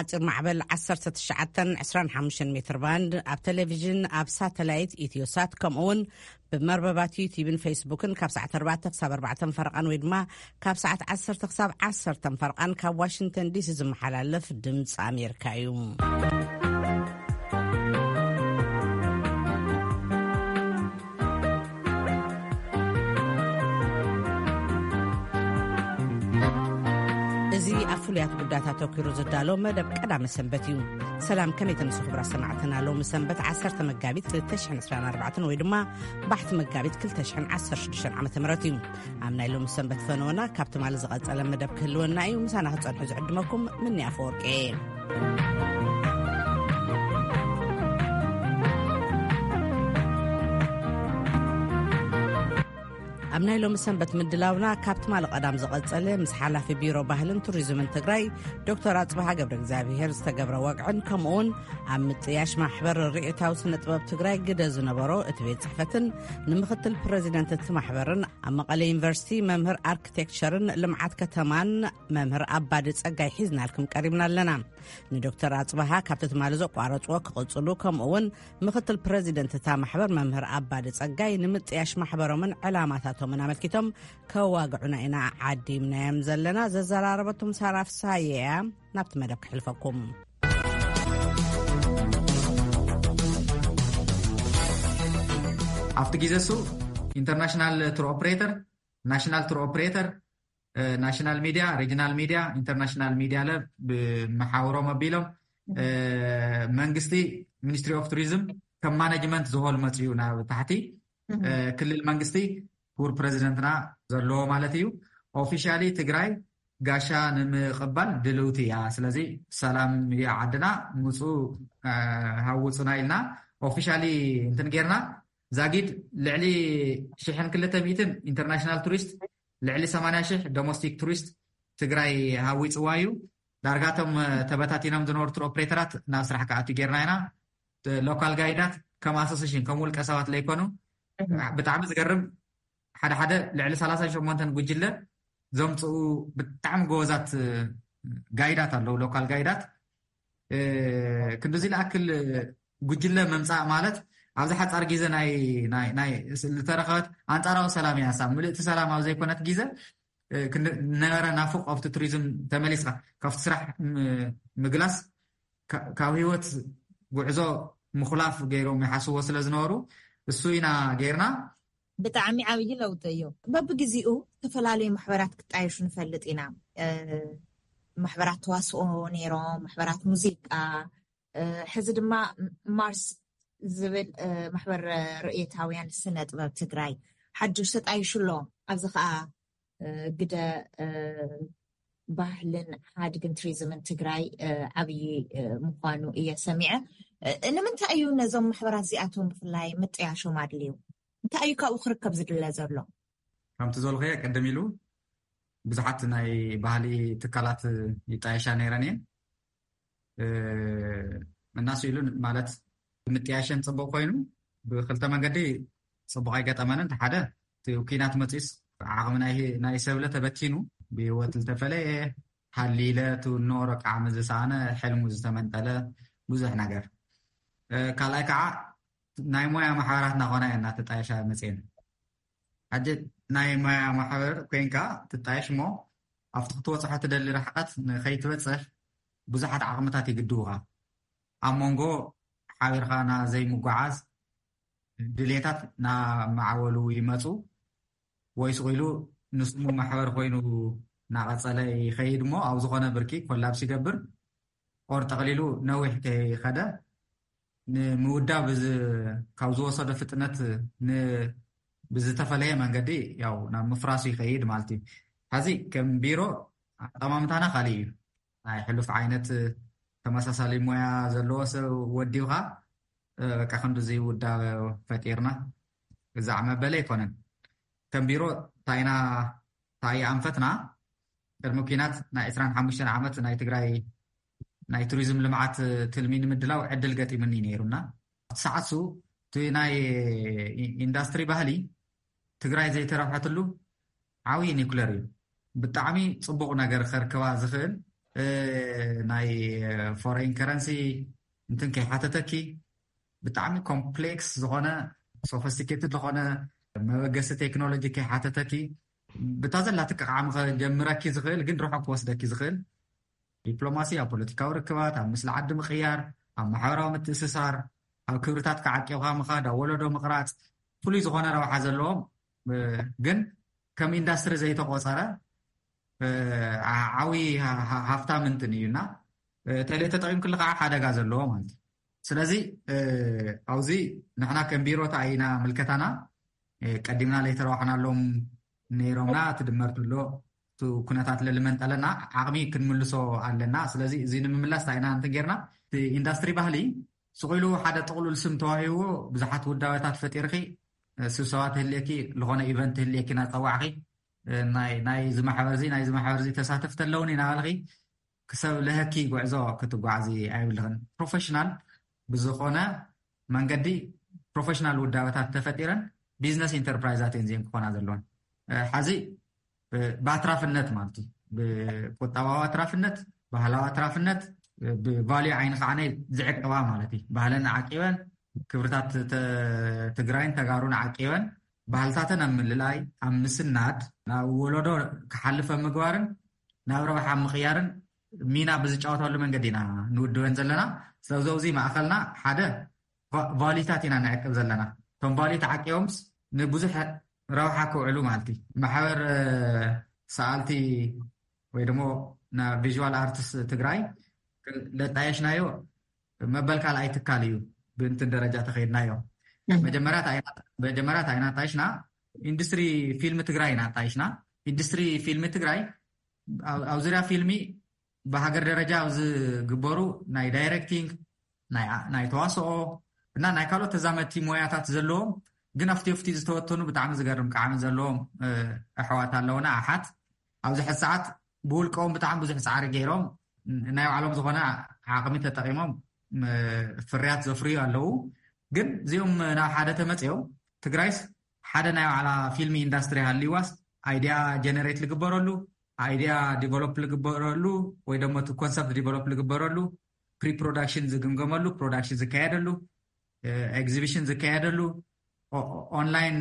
ኣጭር ማዕበል ዓሰርተ ትሽዓተ ዕስራን ሓሙሽተን ሜትር ባንድ፣ ኣብ ቴሌቪዥን፣ ኣብ ሳተላይት ኢትዮሳት፣ ከምኡ እውን ብመርበባት ዩቲዩብን ፌስቡክን ካብ ሰዓት ኣርባዕተ ክሳብ ኣርባዕተን ፈረቓን ወይ ድማ ካብ ሰዓት ዓሰርተ ክሳብ ዓሰርተን ፈረቓን ካብ ዋሽንግተን ዲሲ ዝመሓላለፍ ድምፂ ኣሜሪካ እዩ። እዚ ኣብ ፍሉያት ጉዳያት ኣተኲሩ ዝዳሎ መደብ ቀዳመ ሰንበት እዩ። ሰላም፣ ከመይ ተምሱ ክብራ ሰማዕትና? ሎሚ ሰንበት ዓሰርተ መጋቢት ክልተ ሽሕን ዕስራን ኣርባዕተን ወይ ድማ ባሕቲ መጋቢት ክልተ ሽሕን ዓሰርተ ሽዱሽተን ዓመተ ምህረት እዩ። ኣብ ናይ ሎሚ ሰንበት ፈነወና ካብ ትማሊ ዝቐጸለ መደብ ክህልወና እዩ። ምሳና ክትጸንሑ ዝዕድመኩም ምኒ ኣፈወርቂ እየ። ኣብ ናይ ሎሚ ሰንበት ምድላውና ካብ ትማሊ ቀዳም ዝቐጸለ ምስ ሓላፊ ቢሮ ባህልን ቱሪዝምን ትግራይ ዶክተር ኣጽብሃ ገብረ እግዚኣብሔር ዝተገብረ ወግዕን ከምኡውን ኣብ ምጥያሽ ማሕበር ርእየታዊ ስነ ጥበብ ትግራይ ግደ ዝነበሮ እቲ ቤት ጽሕፈትን ንምክትል ፕረዚደንት እቲ ማሕበርን ኣብ መቐለ ዩኒቨርሲቲ መምህር ኣርኪቴክቸርን ልምዓት ከተማን መምህር ኣባዲ ጸጋይ ሒዝናልኩም ቀሪብና ኣለና። ንዶክተር ኣጽብሃ ካብቲ ትማሊ ዘቋረጽዎ ክቕጽሉ ከምኡውን ምክትል ፕረዚደንት እታ ማሕበር መምህር ኣባዲ ጸጋይ ንምጥያሽ ማሕበሮምን ዕላማታቶምን ኣመልኪቶም ከዋግዑና ኢና ዓዲምናዮም ዘለና። ዘዘራረበቶም ሳራ ፍሳየ እያ። ናብቲ መደብ ክሕልፈኩም። ኣብቲ ግዜ እሱ ኢንተርናሽናል ቱር ኦፕሬተር፣ ናሽናል ቱር ኦፕሬተር፣ ናሽናል ሚድያ፣ ሪጅናል ሚድያ፣ ኢንተርናሽናል ሚድያ ለ ብመሓውሮም ኣቢሎም መንግስቲ ሚኒስትሪ ኦፍ ቱሪዝም ከም ማኔጅመንት ዝሆል መፅኡ ናብ ታሕቲ ክልል መንግስቲ ክቡር ፕረዚደንትና ዘለዎ ማለት እዩ። ኦፊሻሊ ትግራይ ጋሻ ንምቕባል ድልውቲ እያ። ስለዚ ሰላም እያ ዓድና፣ ምፁ ሃውፁና ኢልና ኦፊሻሊ እንትን ጌርና። ዛጊድ ልዕሊ ሽሕን ክልተ ሚእትን ኢንተርናሽናል ቱሪስት፣ ልዕሊ ሰማንያ ሽሕ ዶሜስቲክ ቱሪስት ትግራይ ሃዊፅዋ እዩ። ዳርጋቶም ተበታቲኖም ዝነበሩ ቱር ኦፕሬተራት ናብ ስራሕ ክኣትዩ ጌርና ኢና። ሎካል ጋይዳት ከም ኣሶሴሽን ከም ውልቀ ሰባት ለይኮኑ፣ ብጣዕሚ ዝገርም፣ ሓደ ሓደ ልዕሊ ሰላሳን ሸሞንተን ጉጅለ ዘምፅኡ ብጣዕሚ ጎበዛት ጋይዳት ኣለዉ፣ ሎካል ጋይዳት። ክንድዚ ዝኣክል ጉጅለ ምምፃእ ማለት ኣብዚ ሓፃር ግዜ ናይ ዝተረኸበት ኣንፃራዊ ሰላም እያ። ንሳ ምልእቲ ሰላም ኣብ ዘይኮነት ግዜ ነበረ ናፍቆ ኣብቲ ቱሪዝም ተመሊስካ ካብቲ ስራሕ ምግላስ ካብ ህይወት ጉዕዞ ምኹላፍ ገይሮም ይሓስዎ ስለ ዝነበሩ፣ እሱ ኢና ጌርና። ብጣዕሚ ዓብዪ ለውጢ እዩ። በብግዜኡ ዝተፈላለዩ ማሕበራት ክጣየሹ ንፈልጥ ኢና። ማሕበራት ተዋስኦ ነይሮም፣ ማሕበራት ሙዚቃ፣ ሕዚ ድማ ማርስ ዝብል ማሕበር ርእየታውያን ስነ ጥበብ ትግራይ ሓድሽ ተጣይሹ ኣሎ። ኣብዚ ከዓ ግደ ባህልን ሓድግን ቱሪዝምን ትግራይ ዓብዪ ምዃኑ እየ ሰሚዐ። ንምንታይ እዩ ነዞም ማሕበራት እዚኣቶም ብፍላይ ምጥያሾም ኣድልዩ? እንታይ እዩ ካብኡ ክርከብ ዝድለ ዘሎ? ከምቲ ዘልኸየ ቅድም ኢሉ ብዙሓት ናይ ባህሊ ትካላት ይጣየሻ ነይረን እየን። እናስ ኢሉ ማለት ምጥያሸን ፅቡቅ ኮይኑ ብክልተ መንገዲ ፅቡቅ ኣይገጠመንን። ሓደ እቲ ኩናት መፂስ ዓቕሚ ናይ ሰብለ ተበቲኑ ብህይወት ዝተፈለየ ሃሊለ ትውኖ ረቃዕሚ ዝሰኣነ ሕልሙ ዝተመንጠለ ብዙሕ ነገር። ካልኣይ ከዓ ናይ ሞያ ማሕበራት እናኾና እየ እናተጣየሻ መፅየን። ሕጂ ናይ ሞያ ማሕበር ኮይንካ ትጣየሽ እሞ ኣብቲ ክትበፅሖ ትደሊ ርሕቀት ንኸይትበፅሕ ብዙሓት ዓቕምታት ይግድውኻ። ኣብ መንጎ ሓቢርካ ና ዘይምጓዓዝ ድሌታት ና ማዕበሉ ይመፁ። ወይ ስቕ ኢሉ ንስሙ ማሕበር ኮይኑ ናቐፀለ ይኸይድ እሞ ኣብ ዝኾነ ብርኪ ኮላብስ ይገብር። ኦር ጠቕሊሉ ነዊሕ ከይኸደ ንምውዳብ ካብ ዝወሰዶ ፍጥነት ብዝተፈለየ መንገዲ ያው ናብ ምፍራሱ ይኸይድ ማለት እዩ። ሕዚ ከም ቢሮ ኣጠማምታና ካሊእ እዩ። ናይ ሕሉፍ ዓይነት ተመሳሳሊ ሞያ ዘለዎ ሰብ ወዲብካ በቃ ክንዲ ዝውዳብ ፈጢርና። እዛዕ መበለ ኣይኮነን። ከም ቢሮ ታይና ታየ ኣንፈትና ቅድሚ ኩናት ናይ ዕስራን ሓሙሽተን ዓመት ናይ ትግራይ ናይ ቱሪዝም ልምዓት ትልሚ ንምድላው ዕድል ገጢምኒ ነይሩና። ሰዓት ሱ እቲ ናይ ኢንዳስትሪ ባህሊ ትግራይ ዘይተረብሐትሉ ዓብዪ ኒኩለር እዩ። ብጣዕሚ ፅቡቕ ነገር ከርክባ ዝኽእል ናይ ፎሬን ከረንሲ እንትን ከይሓተተኪ፣ ብጣዕሚ ኮምፕሌክስ ዝኾነ፣ ሶፊስቲኬትድ ዝኾነ መበገሲ ቴክኖሎጂ ከይሓተተኪ፣ ብታ ዘላትኪ ዓቕሚ ከጀምረኪ ዝኽእል ግን ርሑቕ ክወስደኪ ዝኽእል ዲፕሎማሲ፣ ኣብ ፖለቲካዊ ርክባት፣ ኣብ ምስሊ ዓዲ ምቕያር፣ ኣብ ማሕበራዊ ምትእስሳር፣ ኣብ ክብርታት ከዓቂብካ ምኻድ፣ ኣብ ወለዶ ምቕራፅ፣ ፍሉይ ዝኾነ ረብሓ ዘለዎም ግን ከም ኢንዳስትሪ ዘይተቆፀረ ዓዊ ሃፍታም እንትን እዩ እና ተለ ተጠቂምክሉ ከዓ ሓደጋ ዘለዎ ማለት እዩ። ስለዚ ኣብዚ ንሕና ከም ቢሮ እንታይ ኢና ምልከታና፣ ቀዲምና ለይተረዋሕናሎም ነይሮምና ትድመር ትብሎ ኩነታት ለልመንጠለና ዓቕሚ ክንምልሶ ኣለና። ስለዚ እዚ ንምምላስ እንታይ ኢና እንትን ጌርና ኢንዳስትሪ ባህሊ ስቕ ኢሉ ሓደ ጥቕሉል ስም ተዋሂዎ ብዙሓት ውዳበታት ፈጢርኪ ስብሰባ ትህልየኪ ዝኾነ ኢቨንት ትህልየኪ እናፀዋዕኪ ናይ ዝማሕበር እዚ ናይ ዝማሕበር እዚ ተሳተፍቲ ኣለውኒ እናበልኪ ክሰብ ለሀኪ ጉዕዞ ክትጓዓዚ ኣይብልኽን። ፕሮፌሽናል ብዝኾነ መንገዲ ፕሮፌሽናል ውዳበታት ተፈጢረን ቢዝነስ ኢንተርፕራይዛት እየን ዚን ክኾና ዘለዎን። ሓዚ ብኣትራፍነት ማለት እዩ፣ ብቁጠባዊ ኣትራፍነት፣ ባህላዊ ኣትራፍነት፣ ብቫልዩ ዓይኒ ከዓ ዝዕቀባ ማለት እዩ። ባህለን ዓቂበን ክብርታት ትግራይን ተጋሩን ዓቂበን ባህልታተን ኣብ ምልላይ ኣብ ምስናድ ናብ ወለዶ ክሓልፈ ምግባርን ናብ ረብሓ ምቕያርን ሚና ብዝጫወተሉ መንገዲ ኢና ንውድበን ዘለና። ስለዚ ኣብዚ ማእኸልና ሓደ ቫሊታት ኢና ንዕቅብ ዘለና። እቶም ቫሊ ተዓቂቦምስ ንብዙሕ ረብሓ ክውዕሉ ማለት እዩ። ማሕበር ሰኣልቲ ወይ ደሞ ና ቪዥዋል ኣርትስ ትግራይ ለጣየሽናዮ መበል ካልኣይ ትካል እዩ። ብእንትን ደረጃ ተኸይድናዮ መጀመርያ እንታይ ኢና ጣይሽና? ኢንዱስትሪ ፊልም ትግራይ ኢና ጣይሽና። ኢንዱስትሪ ፊልም ትግራይ ኣብ ዙሪያ ፊልሚ ብሃገር ደረጃ ኣብ ዝግበሩ ናይ ዳይሬክቲንግ ናይ ተዋስኦ እና ናይ ካልኦት ተዛመድቲ ሞያታት ዘለዎም ግን ኣብቲ ኣብቲ ዝተወተኑ ብጣዕሚ ዝገርም ቃዕሚ ዘለዎም ኣሕዋት ኣለውና። ኣሓት ኣብዚ ሕዚ ሰዓት ብውልቀኦም ብጣዕሚ ብዙሕ ፃዕሪ ገይሮም ናይ ባዕሎም ዝኾነ ዓቕሚ ተጠቂሞም ፍርያት ዘፍርዩ ኣለዉ። ግን እዚኦም ናብ ሓደ ተመፅኦም ትግራይስ ሓደ ናይ ባዕላ ፊልሚ ኢንዳስትሪ ሃልዋስ ኣይዲያ ጀነሬት ዝግበረሉ፣ ኣይዲያ ዲቨሎፕ ዝግበረሉ ወይ ደሞ እቲ ኮንሰፕት ዲቨሎፕ ዝግበረሉ፣ ፕሪ ፕሮዳክሽን ዝግምገመሉ፣ ፕሮዳክሽን ዝካየደሉ፣ ኤግዚቢሽን ዝካየደሉ፣ ኦንላይን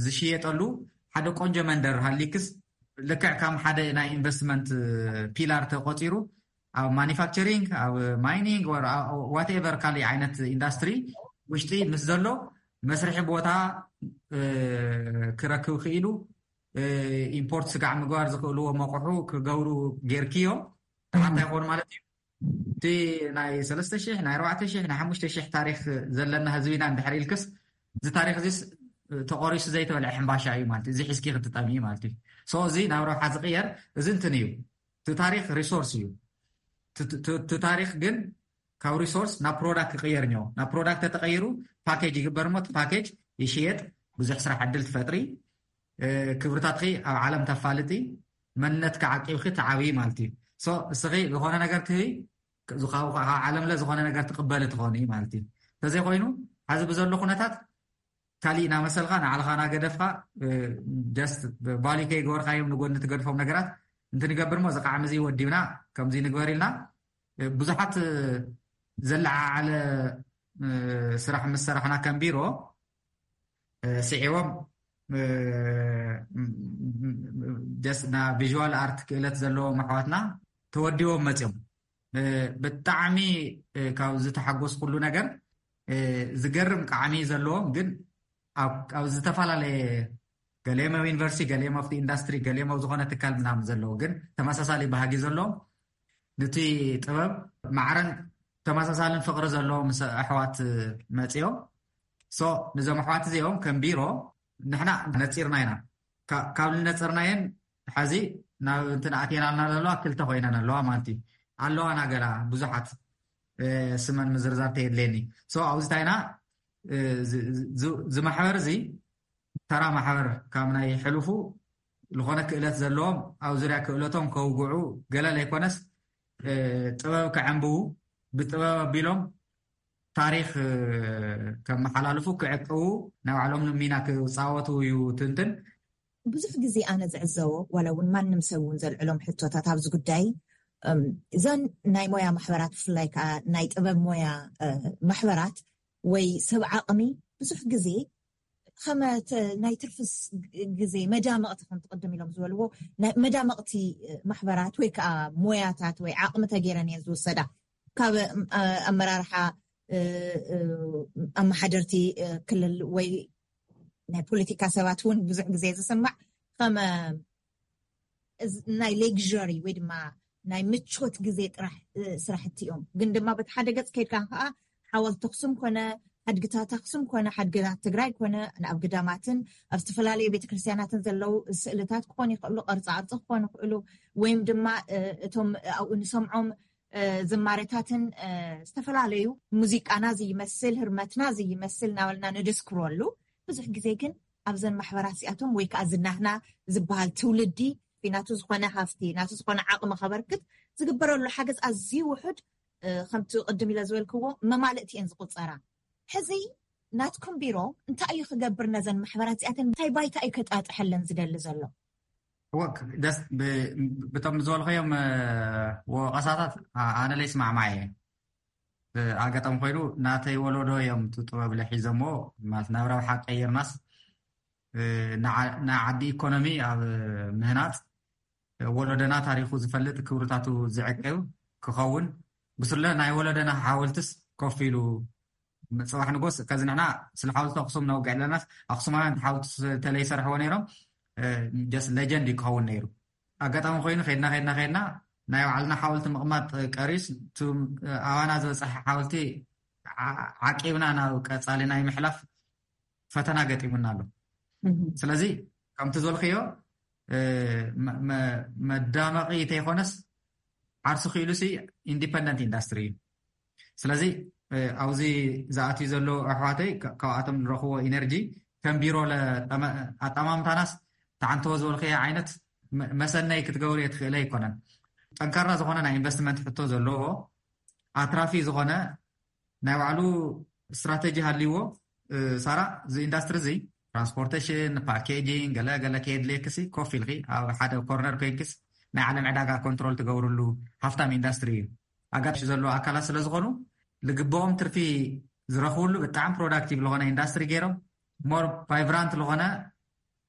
ዝሽየጠሉ ሓደ ቆንጆ መንደር ሃሊክስ ልክዕ ከም ሓደ ናይ ኢንቨስትመንት ፒላር ተቆፂሩ ኣብ ማኒፋክቸሪንግ፣ ኣብ ማይኒንግ፣ ዋትኤቨር ካሊእ ዓይነት ኢንዳስትሪ ውሽጢ ምስ ዘሎ መስርሒ ቦታ ክረክብ ክኢሉ፣ ኢምፖርት ስጋዕ ምግባር ዝኽእልዎ መቑሑ ክገብሩ ጌርክዮም ተሓታይ ክኾኑ ማለት እዩ። እቲ ናይ ሰለስተ ሽሕ ናይ ኣርባዕተ ሽሕ ናይ ሓሙሽተ ሽሕ ታሪክ ዘለና ህዝቢ ኢና እንድሕር ኢልክስ፣ እዚ ታሪክ እዚስ ተቆሪሱ ዘይተበልዐ ሕምባሻ እዩ ማለት እዩ። እዚ ሒዝኪ ክትጠሚ ማለት እዩ። ሶ እዚ ናብ ረብሓ ዝቅየር እዚ እንትን እዩ። እቲ ታሪክ ሪሶርስ እዩ። እቲ ታሪክ ግን ካብ ሪሶርስ ናብ ፕሮዳክት ክቅየር እኒኦ። ናብ ፕሮዳክት ተተቀይሩ ፓኬጅ ይግበር እሞ እቲ ፓኬጅ ይሽየጥ፣ ብዙሕ ስራሕ ዕድል ትፈጥሪ፣ ክብርታትኪ ኣብ ዓለም ተፋልጢ፣ መንነትኪ ዓቂብኪ ትዓብዪ ማለት እዩ። ሶ እስኺ ዝኾነ ነገር ትህቢ፣ ካብ ዓለምለ ዝኾነ ነገር ትቅበሊ ትኾኒ ማለት እዩ። እንተዘይኮይኑ ሓዚ ብዘሎ ኩነታት ካሊእ እናመሰልካ ንዓልኻ እናገደፍካ ጀስት ቫሊ ከይገበርካዮም ንጎኒ ትገድፎም ነገራት እንትንገብር ሞ እዚ ቃዕሚ እዚ ወዲብና ከምዚ ንግበር ኢልና ብዙሓት ዘለዓዓለ ስራሕ ምስ ሰራሕና ከም ቢሮ ስዒቦም ጀስት ና ቪዥዋል ኣርት ክእለት ዘለዎም ኣሕዋትና ተወዲቦም መፅዮም። ብጣዕሚ ካብ ዝተሓጎስኩሉ ነገር ዝገርም ቃዕሚ ዘለዎም ግን ኣብ ዝተፈላለየ ገሊኦም ኣብ ዩኒቨርሲቲ፣ ገሊኦም ኣብቲ ኢንዳስትሪ፣ ገሊኦም ኣብ ዝኾነ ትካል ምናምን ዘለዉ ግን ተመሳሳሊ ባህጊ ዘለዎም ንቲ ጥበብ ማዕረን ተመሳሳልን ፍቕሪ ዘለዎም ኣሕዋት መፅኦም። ሶ ንዞም ኣሕዋት እዚኦም ከም ቢሮ ንሕና ነፂርና ኢና። ካብ ዝነፅርናየን ሓዚ ናብ እንትን ኣትየናልና ዘለዋ ክልተ ኮይነን ኣለዋ ማለት እዩ። ኣለዋ ናገላ ብዙሓት ስመን ምዝርዛር ተየድለየኒ። ሶ ኣብዚ ታይና ዝማሕበር እዚ ተራ ማሕበር ካብ ናይ ሕሉፉ ዝኾነ ክእለት ዘለዎም ኣብ ዙርያ ክእለቶም ከውግዑ ገለ ዘይኮነስ ጥበብ ከዐንብቡ ብጥበብ ኣቢሎም ታሪክ ከመሓላልፉ ክዕቅቡ ናይ ባዕሎም ሚና ክፃወቱ እዩ ትንትን። ብዙሕ ግዜ ኣነ ዝዕዘቦ፣ ዋላ እውን ማንም ሰብ እውን ዘልዕሎም ሕቶታት ኣብዚ ጉዳይ፣ እም፣ እዘን ናይ ሞያ ማሕበራት፣ ብፍላይ ከዓ ናይ ጥበብ ሞያ፣ እ፣ ማሕበራት ወይ ሰብ ዓቕሚ ብዙሕ ግዜ ከመ ተ-፣ ናይ ትርፊ ስ-፣ ግዜ መዳመቕቲ፣ ከምቲ ቅድም ኢሎም ዝበልዎ፣ ናይ መዳመቕቲ፣ እ፣ ማሕበራት ወይ ከዓ ሞያታት ወይ ዓቕሚ ተገይረን እየን ዝውሰዳ። ካብ፣ እ፣ ኣመራርሓ፣ እ፣ እ፣ ኣመሓደርቲ፣ እ፣ ክልል ወይ ናይ ፖለቲካ ሰባት እውን ብዙሕ ግዜ ዝስማዕ፣ ከመ እዚ ናይ ሌግሪ ወይ ድማ ናይ ምቾት ግዜ ጥራሕ፣ እ፣ ስራሕቲ እዮም። ግን ድማ በቲ ሓደ ገጽ ከይድካ ከዓ ሓወልቲ ኣኽሱም ኮነ፣ ሓድግታት ኣኽሱም ኮነ፣ ሓድግታት ትግራይ ኮነ፣ ኣብ ግዳማትን ኣብ ዝተፈላለዩ ቤተክርስትያናትን ዘለዉ ስእልታት ክኾኑ ይኽእሉ፣ ቅርፃ ቅርፂ ክኾኑ ይኽእሉ፣ ወይም ድማ፣ እ፣ እቶም ኣብኡ ንሰምዖም፣ እ፣ ዝማሬታትን፣ እ፣ ዝተፈላለዩ ሙዚቃና ዝይመስል፣ ህርመትና ዝይመስል እናበልና ንድስክረሉ። ብዙሕ ግዜ ግን ኣብዘን ማሕበራት እዚኣቶም ወይ ከዓ ዝናህና ዝበሃል ትውልዲ ናቱ ዝኾነ ሃፍቲ፣ ናቱ ዝኾነ ዓቕሚ ከበርክት ዝግበረሉ ሓገዝ ኣዝዩ ውሑድ፣ እ፣ ከምቲ ቅድም ኢለ ዝበልክዎ መማልእቲ እየን ዝቑጸራ። ሕዚ ናትኩም ቢሮ እንታይ እዩ ክገብር ነዘን ማሕበራት እዚኣተን? እንታይ ባይታ እዩ ከጣጥሐለን ዝደሊ ዘሎ? እወ፣ ደስ ብ-፣ ብቶም ዝበልኸዮም፣ እ፣ ወቐሳታት ኣ-፣ ኣነ ለይስማዕማዕ እየ። እ፣ ኣጋጣሚ ኮይኑ ናተይ ወለዶ እዮም እቲ ጥበብ ለሒዘሞ፣ ማለት ናብ ረብሓ ቀይርናስ፣ እ፣ ንዓ-፣ ንዓዲ ኢኮኖሚ ኣብ ምህናጽ፣ ወለዶና ታሪኹ ዝፈልጥ፣ ክብርታቱ ዝዕቅብ ክኸውን፣ ብስለ ናይ ወለዶና ሓወልትስ ኮፍ ኢሉ ጽባሕ ንጎስ፣ ከዚ ንሕና ስለ ሓወልቲ ኣኽሱም ነውግዕ ኣለናስ፣ ኣኽሱማውያን ሓወልቲ ተለይሰርሕዎ ነይሮም፣ እ፣ ጀስት ሌጀንድ እዩ ክኸውን ነይሩ። ኣጋጣሚ ኮይኑ ከይድና፣ ከይድና፣ ከይድና ናይ ባዕልና ሓወልቲ ምቕማጥ ቀሪስ፣ እቱ ኣባና ዝበጽሐ ሓወልቲ ዓ-፣ ዓቂብና ናብ ቀጻሊ ናይ ምሕላፍ ፈተና ገጢሙና ኣሎ። እህ። ስለዚ ከምቲ ዝበልክዮ፣ እ፣ መ-፣ መ-፣ መዳመቒ ተይኮነስ ዓርሱ ክኢሉ ሲ ኢንዲፐንደንት ኢንዳስትሪ እዩ። ስለዚ፣ እ፣ ኣብዚ ዝኣትዩ ዘለዉ ኣሕዋተይ ካ-፣ ካብኣቶም ንረኽቦ ኢነርጂ ከም ቢሮ ለ-፣ ጠመ-፣ ኣጠማምታናስ ተዓንተዎ ዝበልክዮ ዓይነት መ-፣ መሰነይ ክትገብር እየ ትኽእለ ኣይኮነን። ጠንካራ ዝኾነ ናይ ኢንቨስትመንት ሕቶ ዘለዎ፣ ኣትራፊ ዝኾነ ናይ ባዕሉ ስትራተጂ ሃልይዎ፣ እ፣ ሳራ፣ እዚ ኢንዳስትሪ እዚ ትራንስፖርቴሽን፣ ፓኬጂንግ፣ ገለ ገለ ከየድልየክሲ ኮፍ ኢልኪ ኣብ ሓደ ኮርነር ኮይንክስ ናይ ዓለም ዕዳጋ ኮንትሮል ትገብርሉ ሃፍታም ኢንዳስትሪ እዩ። ኣጋጣሚ ዘለዉ ኣካላት ስለ ዝኾኑ ልግብኦም ትርፊ ዝረኽብሉ ብጣዕሚ ፕሮዳክቲቭ ዝኾነ ኢንዳስትሪ ገይሮም ሞር ቫይብራንት ዝኾነ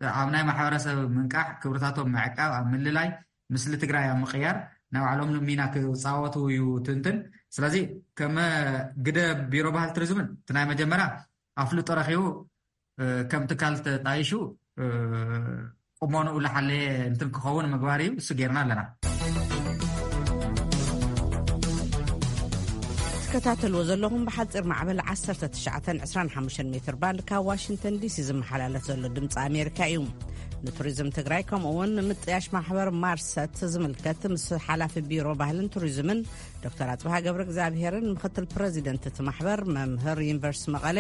ኣብ ናይ ማሕበረሰብ ምንቃሕ፣ ክብርታቶም ምዕቃብ፣ ኣብ ምልላይ፣ ምስሊ ትግራይ ኣብ ምቕያር ናይ ባዕሎም ሚና ክፃወቱ እዩ ትንትን። ስለዚ ከመ ግደ ቢሮ ባህል ቱሪዝምን እቲ ናይ መጀመርያ ኣፍልጦ ረኺቡ፣ እ፣ ከም ትካል ተጣይሹ፣ እ፣ ቁመንኡ ዝሓለየ እንትን ክኸውን ምግባር እዩ። እሱ ጌርና ኣለና። ትከታተልዎ ዘለኹም ብሓፂር ማዕበል ዓሰርተ ትሽዓተን ዕስራን ሓሙሽተን ሜትር ባንድ ካብ ዋሽንግተን ዲሲ ዝመሓላለፍ ዘሎ ድምፂ ኣሜሪካ እዩ። ንቱሪዝም ትግራይ ከምኡ እውን ንምጥያሽ ማሕበር ማርሰት ዝምልከት ምስ ሓላፊ ቢሮ ባህልን ቱሪዝምን ዶክተር ኣፅብሃ ገብረ እግዚኣብሄርን ምክትል ፕረዚደንት እቲ ማሕበር መምህር ዩኒቨርሲቲ መቐለ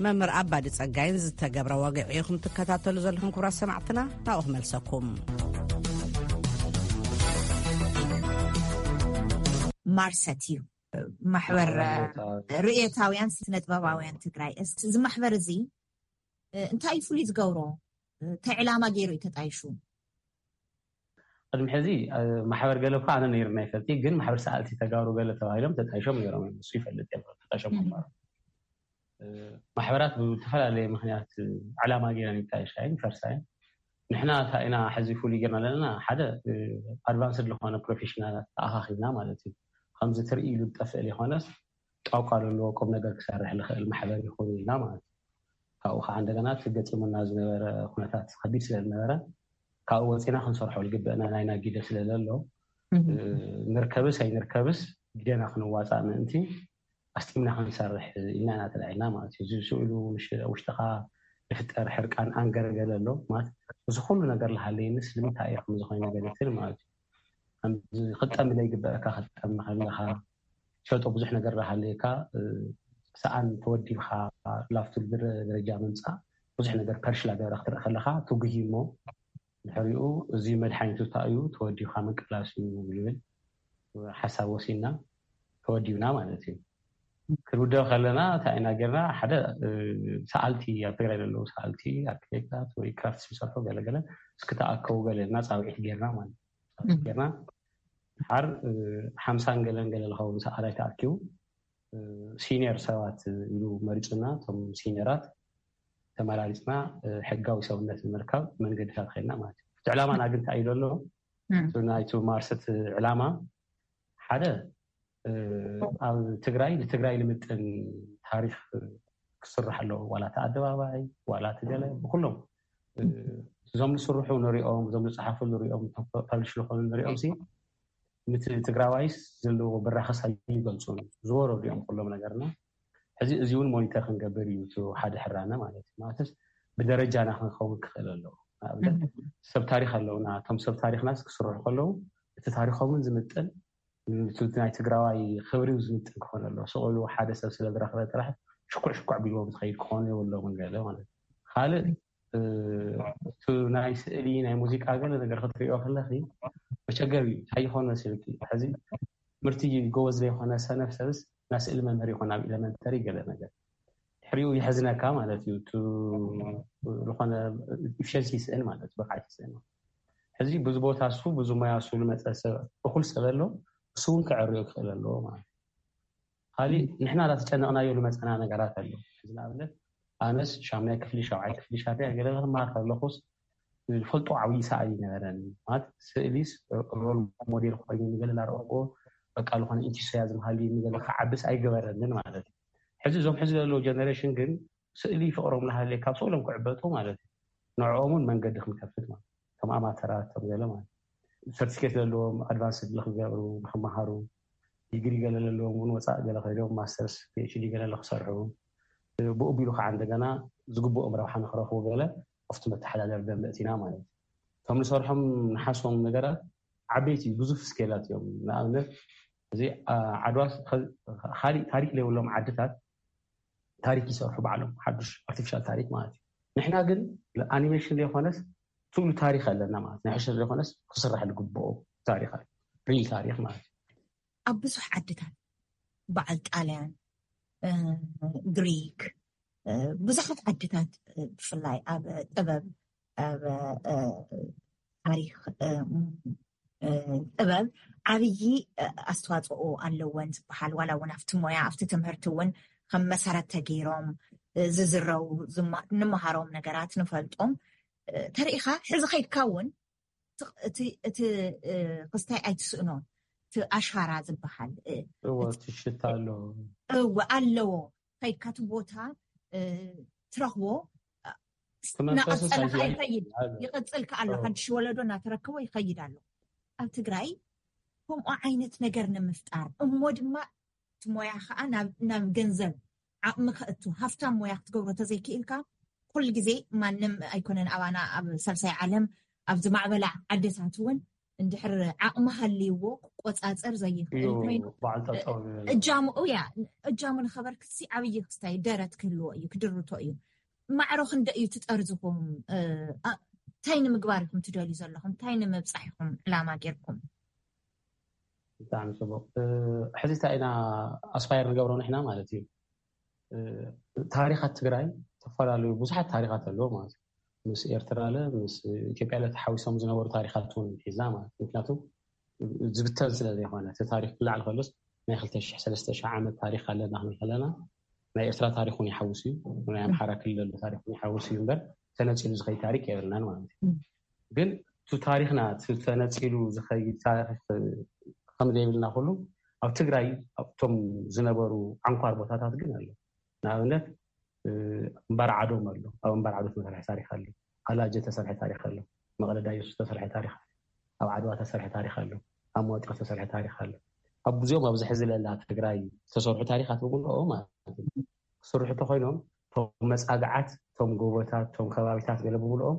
መምህር ኣባዲ ጸጋይን ዝተገብረ ወግዒ ኢኹም ትከታተሉ ዘለኹም ክቡራት ሰማዕትና፣ ናብኡ ክመልሰኩም። ማርሰት እዩ ማሕበር ርእየታውያን ስነ ጥበባውያን ትግራይ። እስኪ እዚ ማሕበር እዚ፣ እ፣ እንታይ እዩ ፍሉይ ዝገብሮ? እንታይ ዕላማ ገይሩ እዩ ተጣይሹ? ቅድሚ ሕዚ፣ እ፣ ማሕበር ገለ እኳ ኣነ ነይርና ይፈልጥ እዩ፣ ግን ማሕበር ሰኣልቲ ተጋሩ ገለ ተባሂሎም ተጣይሾም ነይሮም እዮም። እሱ ይፈልጥ እዮም ተጣይሾም እም። ምንባሮም። እ፣ ማሕበራት ብዝተፈላለየ ምኽንያት ዕላማ ገይረን ይጣይሻ እየን፣ ይፈርሳ እየን። ንሕና እንታይ ኢና ሕዚ ፍሉይ ጌርና ዘለና? ሓደ፣ እ፣ ኣድቫንስድ ዝኾነ ፕሮፌሽናላት ተኣኻኺብና ማለት እዩ። ከምዚ ትርኢ ኢሉ ዝጠፍእ ዘይኮነስ፣ ጣውቃ ዘለዎ ቁም ነገር ክሰርሕ ዝኽእል ማሕበር ይኸውን ኢልና ማለት እዩ። ካብኡ ከዓ እንደገና እቲ ገጢሙና ዝነበረ ኩነታት ከቢድ ስለ ዝነበረ፣ ካብኡ ወፂና ክንሰርሖ ዝግበአና ናይና ግደ ስለ ዘሎ፣ እህ። እ፣ ንርከብስ ኣይንርከብስ ግደና ክንዋፃእ ምእንቲ ኣስጢምና ክንሰርሕ ኢልና ኢና ተላዒልና ማለት እዩ። እዚ ስእሉ ውሽ-፣ ውሽጥኻ ዝፍጠር ሕርቃን፣ ኣንገር ገለ ኣሎ ማለት፣ እዚ ኩሉ ነገር ዝሃለየኒ ስለምንታይ እየ ከምዚ ኮይነ ገለ ትብል ማለት እዩ። ከምዚ ክጠሚ ዘይግበአካ ክትጠሚ ከለኻ፣ ትፈልጦ ብዙሕ ነገር ዝሃለየካ፣ እ፣ ሰኣን ተወዲብካ ላፍቱ ደረ-፣ ደረጃ ምምፃእ ብዙሕ ነገር ፐርሽላ ገይረ ክትርኢ ከለኻ ትጉሂ እሞ፣ ድሕሪኡ እዚ መድሓኒቱ እንታይ እዩ? ተወዲብካ ምቅላስ እዩ ዝብል ሓሳብ ወሲድና ተወዲብና ማለት እዩ። ክንውደብ ከለና እንታይ ኢና ጌርና? ሓደ ሰኣልቲ፣ ኣብ ትግራይ ዘለዉ ሰኣልቲ፣ ኣርኪቴክታት ወይ ክራፍትስ ዝሰርሑ ገለገለ እስኪ ተኣከቡ ገለ እና ፃውዒት ጌርና ማለት ጌርና ሓር ሓምሳን ገለን ገለ ዝኸውን ሰኣላይ ተኣኪቡ ሲኒየር ሰባት ኢሉ መሪፁና። እቶም ሲኒየራት ተመራሪፅና ሕጋዊ ሰውነት ንምርካብ መንገድታት ኸድና ማለት እዩ። እቲ ዕላማና ግን እንታይ እዩ ዘሎ? ናይቲ ማርሰት ዕላማ ሓደ ኣብ ትግራይ ንትግራይ ልምጥን ታሪክ ክስራሕ ኣለዎ። ዋላ እቲ ኣደባባይ ዋላ እቲ ገለ ብኩሎም እዞም ዝስርሑ ንሪኦም፣ እዞም ዝፀሓፉ ንሪኦም፣ ፐብሊሽ ዝኾኑ ንሪኦም ሲ ምት ትግራዋይስ ዘለዎ ብራኸስ ኣይገልፁን። ዝወረዱ እዮም ኩሎም ነገርና። ሕዚ እዚ እውን ሞኒተር ክንገብር እዩ እቲ ሓደ ሕራነ ማለት እዩ። ማለትስ ብደረጃና ክንኸውን ክኽእል ኣለዎ። ንኣብነት ሰብ ታሪክ ኣለውና። እቶም ሰብ ታሪክናስ ክስርሑ ከለዉ እቲ ታሪኮምን ዝምጥን ናይ ትግራዋይ ክብሪ ዝምጥን ክኾን ኣለዎ። ስቕሉ ሓደ ሰብ ስለ ዝረኽበ ጥራሕ ሽኩዕ ሽኩዕ ቢልዎም ዝኸይድ ክኾኑ የብሎምን ገለ ማለት እዩ። ካልእ እቲ ናይ ስእሊ ናይ ሙዚቃ ገለ ነገር ክትሪኦ ከለኺ መቸገር እዩ። እንታይ ይኾን መሲልኪ? ሕዚ ትምህርቲ ጎበዝ ዘይኮነ ሰነፍ ሰብስ ናይ ስእሊ መምህር ይኾን ኣብ ኤለመንተሪ ገለ ነገር ድሕሪኡ ይሕዝነካ ማለት እዩ። ዝኾነ ኢፊሸንሲ ይስእን ማለት ብቕዓት ይስእን። ሕዚ ብዙ ቦታ እሱ ብዙ ሞያ እሱ ዝመፀ ሰብ እኩል ሰብ ኣሎ፣ እሱ እውን ክዕርዮ ክኽእል ኣለዎ ማለት እዩ። ካሊእ ንሕና እንዳተጨነቕናዮ ዝመፀና ነገራት ኣሎ። እዚ ንኣብነት ኣነስ ሻምናይ ክፍሊ ሻብዓይ ክፍሊ ሻርያ ገለ ክማር ከለኹስ ዝፈልጦ ዓብዪ ሰኣሊ ነበረኒ ማለት ስእሊስ ሮል ሞዴል ኮይኑ ንገለ ላረእዎ በቃ ዝኾነ ኢንቲስያዝም ሃልዩ ንገለ ክዓብስ ኣይገበረንን ማለት እዩ። ሕዚ እዞም ሕዚ ዘለዉ ጀነሬሽን ግን ስእሊ ፍቕሮም ናሃለየ ካብ ስእሎም ክዕበጡ ማለት እዩ። ንዕኦም እውን መንገዲ ክንከፍት ማለት ከም ኣማተራት ከም ገለ ማለት ሰርቲፊኬት ዘለዎም ኣድቫንስ ንክገብሩ ንክመሃሩ ዲግሪ ገለ ዘለዎም እውን ወፃእ ገለ ከይዶም ማስተርስ ፒኤችዲ ገለ ንክሰርሑ ብኡ ቢሉ ከዓ እንደገና ዝግብኦም ረብሓ ንክረኽቡ ገለ ኣብቲ መተሓዳደሪ ደንበ እቲና ማለት እዩ። እቶም ንሰርሖም ንሓሶም ነገራት ዓበይቲ ብዙፍ ስኬላት እዮም። ንኣብነት እዚ ዓድዋ ካሊእ ታሪክ ዘይብሎም ዓድታት ታሪክ ይሰርሑ ባዕሎም ሓዱሽ ኣርቲፊሻል ታሪክ ማለት እዩ። ንሕና ግን ኣኒሜሽን ዘይኮነስ ትሉ ታሪክ ኣለና ማለት ናይ ሕሸር ዘይኮነስ ክስራሕ ዝግብኦ ታሪክ ሪል ታሪክ ማለት እዩ። ኣብ ብዙሕ ዓድታት በዓል ጣልያን፣ ግሪክ፣ ብዙሓት ዓድታት ብፍላይ ኣብ ጥበብ ኣብ ታሪክ ጥበብ ዓብዪ ኣስተዋፅኦ ኣለወን ዝበሃል ዋላ እውን ኣብቲ ሞያ ኣብቲ ትምህርቲ እውን ከም መሰረት ተገይሮም ዝዝረቡ ንምሃሮም ነገራት ንፈልጦም ተሪኢኻ ሕዚ ከይድካ እውን እቲ ክስታይ ኣይትስእኖ እቲ ኣሻራ ዝበሃል ሽታ ኣሎ እወ ኣለዎ ከይድካ እቲ ቦታ ትረኽቦ እናቐፀለ ከዓ ይኸይድ ይቐፅል ከዓ ኣሎ ሓድሽ ወለዶ እናተረከቦ ይኸይድ ኣሎ ኣብ ትግራይ ከምኡ ዓይነት ነገር ንምፍጣር እሞ ድማ እቲ ሞያ ከዓ ናብ ገንዘብ ዓቕሚ ከእቱ ሃፍታም ሞያ ክትገብሮ ተዘይክኢልካ ኩሉ ግዜ ማንም ኣይኮነን ኣባና ኣብ ሳልሳይ ዓለም ኣብ ዝማዕበላ ዓድታት እውን እንድሕር ዓቕሚ ሃልይዎ ክቆፃፀር ዘይኽእል ኮይኑ እጃምኡ ያ እጃሙ ንኸበርክትሲ ዓብዪ ክስታይ ደረት ክህልዎ እዩ ክድርቶ እዩ ማዕሮ ክንደ እዩ ትጠርዝኹም እንታይ ንምግባር ኢኹም ትደልዩ ዘለኹም እንታይ ንምብፃሕ ኢኹም ዕላማ ጌርኩም ብጣዕሚ ፅቡቅ ሕዚ እንታይ ኢና ኣስፓየር ንገብሮ ንሕና ማለት እዩ ታሪኻት ትግራይ ዝተፈላለዩ ብዙሓት ታሪኻት ኣለዎ ማለት እዩ ምስ ኤርትራ ለ ምስ ኢትዮጵያ ለ ተሓዊሶም ዝነበሩ ታሪኻት እውን ሒዝና ማለት ምክንያቱ ዝብተን ስለ ዘይኮነ እቲ ታሪክ ክላዓል ከሎስ ናይ ክልተ ሽሕ ሰለስተ ሽሕ ዓመት ታሪክ ኣለና ክንብል ከለና ናይ ኤርትራ ታሪክ እውን ይሓውስ እዩ ናይ ኣምሓራ ክልል ዘሎ ታሪክ እውን ይሓውስ እዩ እምበር ተነፂሉ ዝኸይድ ታሪክ የብልናን ማለት እዩ ግን እቲ ታሪክና ተነፂሉ ዝኸይድ ታሪክ ከም ዘይብልና ኩሉ ኣብ ትግራይ ኣብቶም ዝነበሩ ዓንኳር ቦታታት ግን ኣሎ ንኣብነት እምባር ዓዶም ኣሎ ኣብ እምባር ዓዶ ተሰርሐ ታሪክ ኣሎ ኣላጀ ተሰርሐ ታሪክ ኣሎ መቐለዳ የሱስ ተሰርሐ ታሪክ ኣብ ዓድዋ ተሰርሐ ታሪክ ኣሎ ኣብ መዋጥር ተሰርሐ ታሪክ ኣሎ ኣብ ብዙኦም ኣብዚ ሕዚ ለላ ትግራይ ዝተሰርሑ ታሪካት ብምልኦ ማለት ክስርሑ ተኮይኖም ቶም መፃግዓት ቶም ጎቦታት ቶም ከባቢታት ገለ ብምልኦም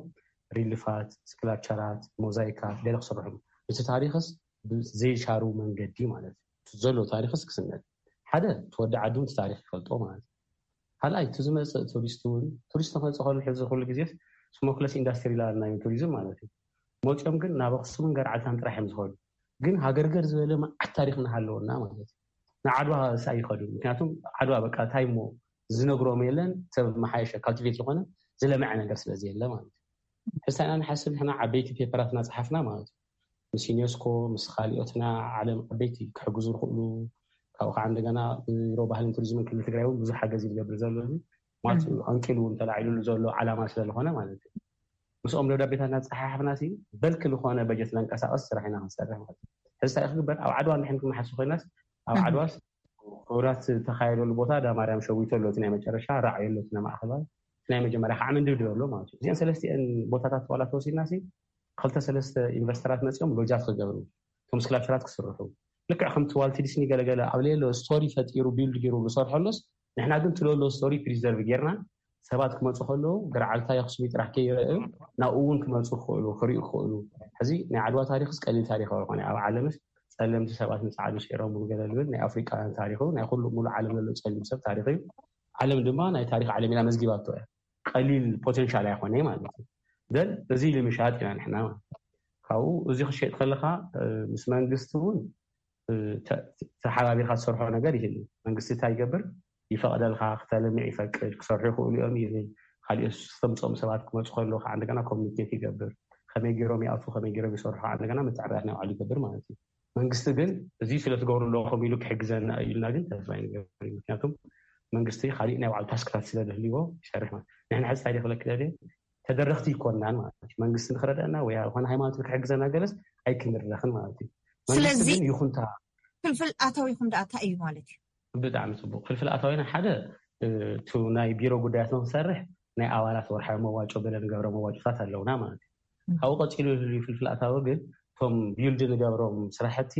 ሪልፋት ስክላፕቸራት ሞዛይካት ገለ ክስርሑ እቲ ታሪክስ ዘይሻሩ መንገዲ ማለት እዩ ዘሎ ታሪክስ ክስነድ ሓደ ተወዲ ዓዱ እቲ ታሪክ ይፈልጦ ማለት እዩ ካልኣይ እቲ ዝመፅእ ቱሪስት እውን ቱሪስት ክመፅእ ከሉ ሕዚ ኩሉ ግዜ ስሞክለስ ኢንዳስትሪ ላል ናይ ቱሪዝም ማለት እዩ መፂኦም ግን ናብ ኣክሱምን ገርዓልታን ጥራሕ እዮም ዝኸዱ ግን ሃገርገር ዝበለ መዓት ታሪክ እናሃለወና ማለት እዩ ንዓድዋ ሳ ይኸዱ። ምክንያቱም ዓድዋ በቃ እንታይ እሞ ዝነግሮም የለን። ሰብ መሓየሸ ካልቲቬት ዝኾነ ዝለመዐ ነገር ስለዚ የለ ማለት እዩ። ሕሳና ንሓስብ ንሕና ዓበይቲ ፔፐራትና ጸሓፍና ማለት እዩ። ምስ ዩኔስኮ ምስ ካሊኦትና ዓለም ዓበይቲ ክሕግዙ ዝኽእሉ ካብኡ ከዓ እንደገና ቢሮ ባህልን ቱሪዝምን ክልል ትግራይ እውን ብዙሕ ሓገዝ ዝገብር ዘሎ እዩ። ማለት እዩ። ኣንቂሉ እውን ተላዒሉሉ ዘሎ ዓላማ ስለዝኾነ ማለት እዩ። ምስኦም ደብዳቤታት እናፀሓሓፍና ሲ በልክ ዝኾነ በጀት ለንቀሳቀስ ስራሕ ኢና ክንሰርሕ ማለት እዩ። ሕዚ እንታይ ክግበር ኣብ ዓድዋ እንድሕን ክመሓሱ ኮይናስ ኣብ ዓድዋስ ክብራት ዝተካየደሉ ቦታ ዳ ማርያም ሸዊቶ ኣሎ፣ እቲ ናይ መጨረሻ ራዕዮ ኣሎ፣ እቲ ናይ ማእኸላይ፣ እቲ ናይ መጀመርያ ከዓ ምንድብድብ ኣሎ ማለት እዩ። እዚአን ሰለስቲአን ቦታታት ዋላ ተወሲድና ሲ ክልተ ሰለስተ ኢንቨስተራት መፂኦም ሎጃት ክገብሩ፣ እቶም ስክላፕቸራት ክስርሑ፣ ልክዕ ከምቲ ዋልት ዲስኒ ገለገለ ኣብ ሌሎ ስቶሪ ፈጢሩ ቢልድ ገይሩ ዝሰርሐሎስ ንሕና ግን ትለሎ ስቶሪ ፕሪዘርቭ ጌርና ሰባት ክመፁ ከለዉ ገርዓልታ የክሱሚ ጥራሕ ከይረአዩ ናብኡ እውን ክመፁ ክኽእሉ ክሪኡ ክኽእሉ። ሕዚ ናይ ዓድዋ ታሪክስ ቀሊል ታሪክ ኣይኮነ ኣብ ዓለምስ ጸለምቲ ሰባት ንጻዕዱ ስዒሮም ገለ ልብል ናይ ኣፍሪቃውያን ታሪክ እዩ። ናይ ኩሉ ሙሉ ዓለም ዘሎ ጸሊም ሰብ ታሪክ እዩ። ዓለም ድማ ናይ ታሪክ ዓለም ኢላ መዝጊባቶ እያ። ቀሊል ፖቴንሻል ኣይኮነ ማለት እዩ። ዘን እዚ ኢሉ ምሻጥ ኢና ንሕና ማለት እዩ። ካብኡ እዚ ክሸጥ ከለካ ምስ መንግስቲ እውን ተሓባቢርካ ዝሰርሖ ነገር ይህሉ። መንግስቲ እንታይ ይገብር? ይፈቅደልካ፣ ክተልምዕ ይፈቅድ፣ ክሰርሑ ይኽእሉ እዮም ይብል። ካሊኦት ዝተምፅኦም ሰባት ክመፁ ከለዉ ከዓ እንደገና ኮሚኒኬት ይገብር። ከመይ ገይሮም ይኣቱ፣ ከመይ ገይሮም ይሰርሑ ከዓ እንደገና ምትዕርራፍ ናይ ባዕሉ ይገብር ማለት እዩ። መንግስቲ ግን እዚ ስለትገብሩ ኣለኹም ኢሉ ክሕግዘና እዩ ኢልና ግን ተስፋ ይንገብር። ምክንያቱም መንግስቲ ካሊእ ናይ ባዕሉ ታስክታት ስለዝህልዎ ይሰርሕ ማለት። ንሕና ሕዚ እንታይ ክብለክ ደልየ ተደረኽቲ ይኮናን ማለት እዩ። መንግስቲ ንክረድአና ወይ ዝኾነ ሃይማኖት ንክሕግዘና ገለስ ኣይክንረኽን ማለት እዩ። መንግስቲ ስለዚ ግን ይኹንታ ፍልፍል ኣታዊኹም ደኣ እንታይ እዩ ማለት እዩ? ብጣዕሚ ፅቡቅ። ፍልፍል ኣታዊና ሓደ እቱ ናይ ቢሮ ጉዳያት ንክንሰርሕ ናይ ኣባላት ወርሓዊ መዋጮ ገለ ንገብሮ መዋጮታት ኣለውና ማለት እዩ። ካብኡ ቀፂሉ ዝህልዩ ፍልፍል ኣታዊ ግን እቶም ቢልድ ንገብሮም ስራሕቲ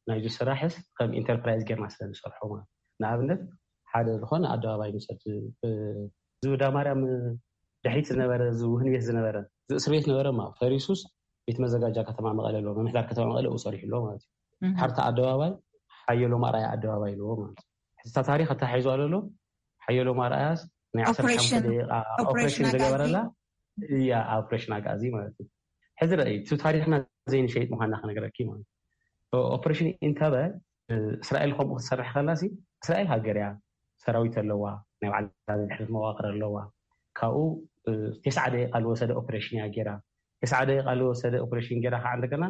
ናይዚ ስራሕስ ከም ኢንተርፕራይዝ ጌርና ስለ ንሰርሖ ማለት ንኣብነት ሓደ ዝኾነ ኣደባባይ ንውሰድ። ዝብዳ ማርያም ድሕሪት ዝነበረ ዝውህን ቤት ዝነበረ ዝእስር ቤት ነበረ ማ ፈሪሱስ ቤት መዘጋጃ ከተማ መቐለ ኣለዎ። ምምሕዳር ከተማ መቐለ ኡ ሰሪሑ ኣለዎ ማለት እዩ። ሓርታ ኣደባባይ ሓየሎም ኣርኣያ ኣደባባይ ኣለዎ ማለት እዩ። ሕዝታ ታሪክ ኣተሓሒዙ ኣሎ። ሓየሎም ኣርኣያስ ናይ ዓሰርተ ሓሙሽተ ደቂቃ ኦፕሬሽን ዝገበረላ እያ። ኦፕሬሽን ኣጋዚ ማለት እዩ። ሕዚ ርኣይ እቲ ታሪክና ዘይንሸይጥ ምኳንና ክነገረኪ ማለት እዩ። ኦፕሬሽን ኢንተበ እስራኤል ከምኡ ክትሰርሕ ከላ እስራኤል ሃገር እያ፣ ሰራዊት ኣለዋ፣ ናይ ባዕላ ድሕሪት መዋቅር ኣለዋ። ካብኡ ተስዓ ደቂቃ ዝወሰደ ኦፕሬሽን እያ ገይራ። ተስዓ ደቂቃ ዝወሰደ ኦፕሬሽን ገይራ ከዓ እንደገና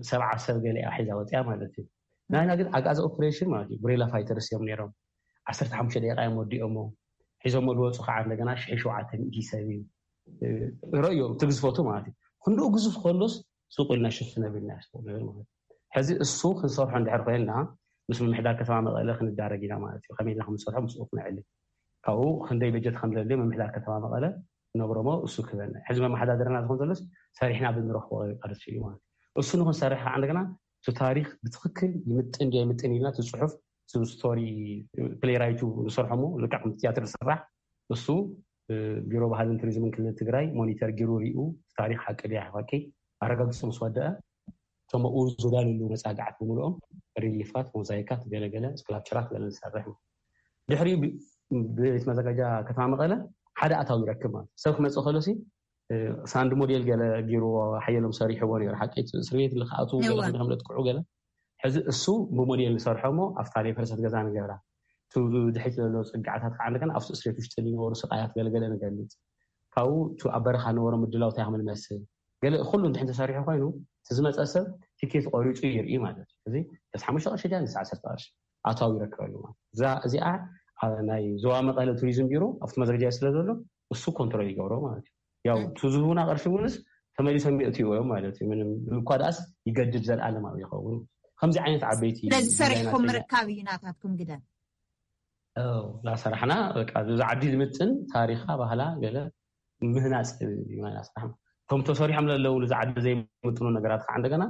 ሰብዓ ሰብ ገለ እያ ሒዛ ወፅያ ማለት እዩ። ናይና ግን ኣግኣዚ ኦፕሬሽን ማለት እዩ ጉሬላ ፋይተርስ እዮም ነይሮም። ዓሰርተ ሓሙሽተ ደቂቃ እዮም ወዲኦሞ። ሒዞሞ ዝወፁ ከዓ እንደገና ሽሕ ሸውዓተ ሚእቲ ሰብ እዩ። ረእዮ ትግዝፈቱ ማለት እዩ። ክንድኡ ግዙፍ ከሎስ ሱቅ ኢልና ሽፍን ኣቢልና ንብል ማለት እዩ። ሕዚ እሱ ክንሰርሖ እንድሕር ኮይንና ምስ ምምሕዳር ከተማ መቐለ ክንዳረግ ኢና ማለት እዩ። ከመይ ኢልና ከምንሰርሖ ምስኡ ክነዕሊ ካብኡ ክንደይ በጀት ከም ዘድልዮ ምምሕዳር ከተማ መቐለ ነግሮሞ እሱ ክበና። ሕዚ መመሓዳደርና ዝኾን ዘሎስ ሰሪሕና ብንረኽቦ ቅርሺ እዩ ማለት እዩ። እሱ ንክንሰርሕ ከዓ እንደገና እቲ ታሪክ ብትክክል ይምጥን ድያ ይምጥን ኢልና እቲ ፅሑፍ ስቶሪ ፕሌይ ራይቱ ንሰርሖሞ ልክዕ ከም ትያትር ዝስራሕ እሱ ቢሮ ባህልን ቱሪዝምን ክልል ትግራይ ሞኒተር ጊሩ ሪኡ ታሪክ ሓቂ ድያ ሓቂ ኣረጋግፁ ምስ ወደአ እቶም ኣብኡ ዝዳልሉ መፃግዓት ብምልኦም ሪሊፋት ሞዛይካት ገለገለ ስክላፕቸራት ገለ ንሰርሕ ድሕሪ ቤት መዘጋጃ ከተማ መቐለ ሓደ ኣታዊ ይረክብ ማለት ሰብ ክመፅእ ከሎ ሳንድ ሞዴል ገለ ጊሩ ሓየሎም ሰሪሕዎ ነሩ ሓቂ እስር ቤት ልክኣቱ ገለ ክምለጥክዑ ገለ ሕዚ እሱ ብሞዴል ንሰርሖ ሞ ኣብታ ናይ ፈረሰት ገዛ ንገብራ ድሕሪት ዘሎ ፅግዓታት ከዓ እንደገና ኣብቲ እስሬት ውሽጢ ዝነበሩ ስቃያት ገለገለ ንገልፅ ካብኡ እቲ ኣብ በረኻ ነበሮ ምድላው እንታይ ከም ንመስል ገለ ኩሉ እንድሕን ተሰሪሑ ኮይኑ እቲ ዝመፀ ሰብ ቲኬት ቆሪፁ ይርኢ ማለት እዩ። እዚ ተስ ሓሙሽተ ቅርሺ ድያ ንስ ዓሰርተ ቅርሺ ኣታዊ ይረክበሉ ማለት እዛ እዚኣ ናይ ዞባ መቐለ ቱሪዝም ቢሮ ኣብቲ መዘጋጃ ስለ ዘሎ እሱ ኮንትሮል ይገብሮ ማለት እዩ። ያው እቲ ዝህቡና ቅርሺ እውንስ ተመሊሶም የእትዩ እዮም ማለት እዩ። ምንም እኳ ደኣስ ይገድድ ዘለኣለማዊ ይኸውን። ከምዚ ዓይነት ዓበይቲ ስለዚ ሰሪሕኩም ምርካብ እዩ ናታትኩም ግደ። ላሰራሕና በቃ እዚ ዓዲ ዝምጥን ታሪኻ ባህላ ገለ ምህናፅ እዩ ናይና ስራሕ። እቶም ተሰሪሖም ለለዉ ንዚ ዓዲ ዘይምጥኑ ነገራት ከዓ እንደገና